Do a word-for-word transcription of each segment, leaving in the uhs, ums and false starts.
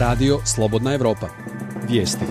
Radio Slobodna Evropa. Vijesti.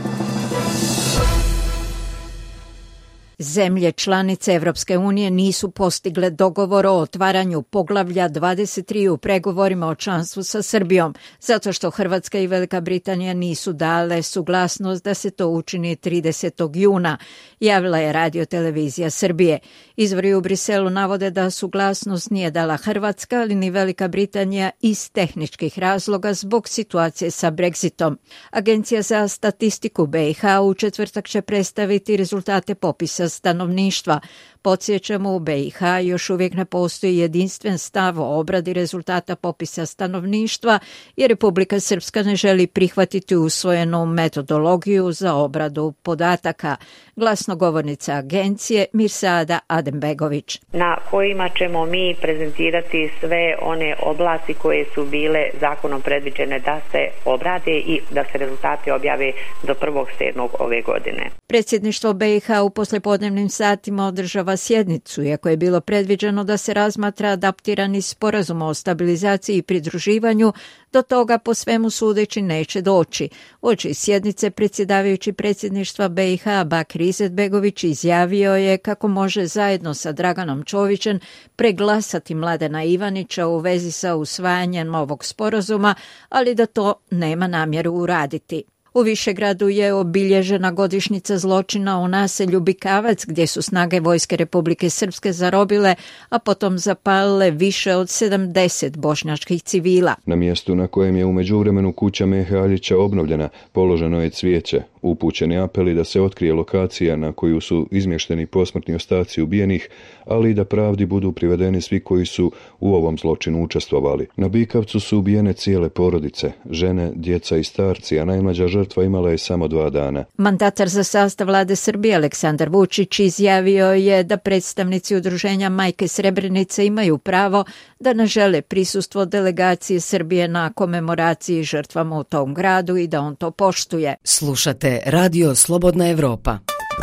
Zemlje članice Evropske unije nisu postigle dogovor o otvaranju poglavlja dvadeset tri u pregovorima o članstvu sa Srbijom, zato što Hrvatska i Velika Britanija nisu dale suglasnost da se to učini tridesetog juna, javila je Radio Televizija Srbije. Izvori u Briselu navode da suglasnost nije dala Hrvatska, ali ni Velika Britanija iz tehničkih razloga zbog situacije sa Brexitom. Agencija za statistiku B i H u četvrtak će predstaviti rezultate popisa stanovništva. Podsjećamo, u B i H još uvijek ne postoji jedinstven stav o obradi rezultata popisa stanovništva jer Republika Srpska ne želi prihvatiti usvojenu metodologiju za obradu podataka. Glasnogovornica agencije Mirsada Adembegović. Na kojima ćemo mi prezentirati sve one oblasti koje su bile zakonom predviđene da se obrade i da se rezultati objave do prvog sedmog ove godine. Predsjedništvo B i H u poslijepodnevnim satima održava sjednicu, iako je bilo predviđeno da se razmatra adaptirani sporazum o stabilizaciji i pridruživanju, do toga po svemu sudeći neće doći. Uoči sjednice predsjedavajući predsjedništva B i H Bakir Izetbegović izjavio je kako može zajedno sa Draganom Čovićem preglasati Mladena Ivanića u vezi sa usvajanjem ovog sporazuma, ali da to nema namjeru uraditi. U Višegradu je obilježena godišnjica zločina u naselju Bikavac, gdje su snage Vojske Republike Srpske zarobile, a potom zapalile više od sedamdeset bošnjačkih civila. Na mjestu na kojem je u međuvremenu kuća Mehe Aljića obnovljena, položeno je cvijeće. Upućeni apeli da se otkrije lokacija na koju su izmješteni posmrtni ostaci ubijenih, ali i da pravdi budu privedeni svi koji su u ovom zločinu učestvovali. Na Bikavcu su ubijene cijele porodice, žene, djeca i starci, a najmlađa žrtva imala je samo dva dana. Mandatar za sastav vlade Srbije Aleksandar Vučić izjavio je da predstavnici udruženja Majke Srebrenice imaju pravo da ne žele prisustvo delegacije Srbije na komemoraciji žrtvama u tom gradu i da on to poštuje. Slušate Radio Slobodna Evropa.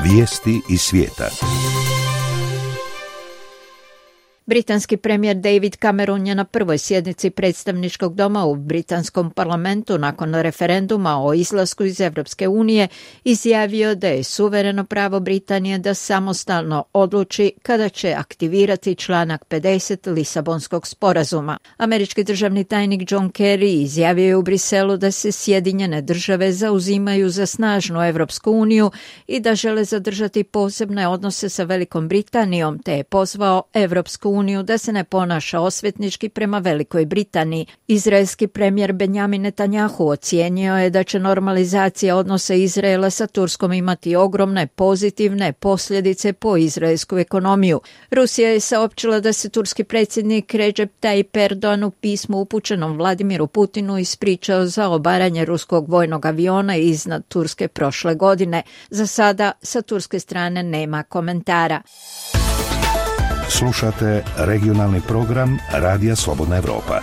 Vijesti iz svijeta. Britanski premijer David Cameron je na prvoj sjednici predstavničkog doma u britanskom parlamentu nakon referenduma o izlasku iz Evropske unije izjavio da je suvereno pravo Britanije da samostalno odluči kada će aktivirati članak pedeset Lisabonskog sporazuma. Američki državni tajnik John Kerry izjavio je u Briselu da se Sjedinjene države zauzimaju za snažnu Evropsku uniju i da žele zadržati posebne odnose sa Velikom Britanijom, te je pozvao Evropsku uniju da se ne ponaša osvetnički prema Velikoj Britaniji. Izraelski premijer Benjamin Netanjahu ocijenio je da će normalizacija odnosa Izraela sa Turskom imati ogromne pozitivne posljedice po izraelsku ekonomiju. Rusija je saopćila da se turski predsjednik Recep Tayyip Erdogan u pismu upućenom Vladimiru Putinu ispričao za obaranje ruskog vojnog aviona iznad Turske prošle godine. Za sada sa turske strane nema komentara. Slušate regionalni program Radija Slobodna Evropa.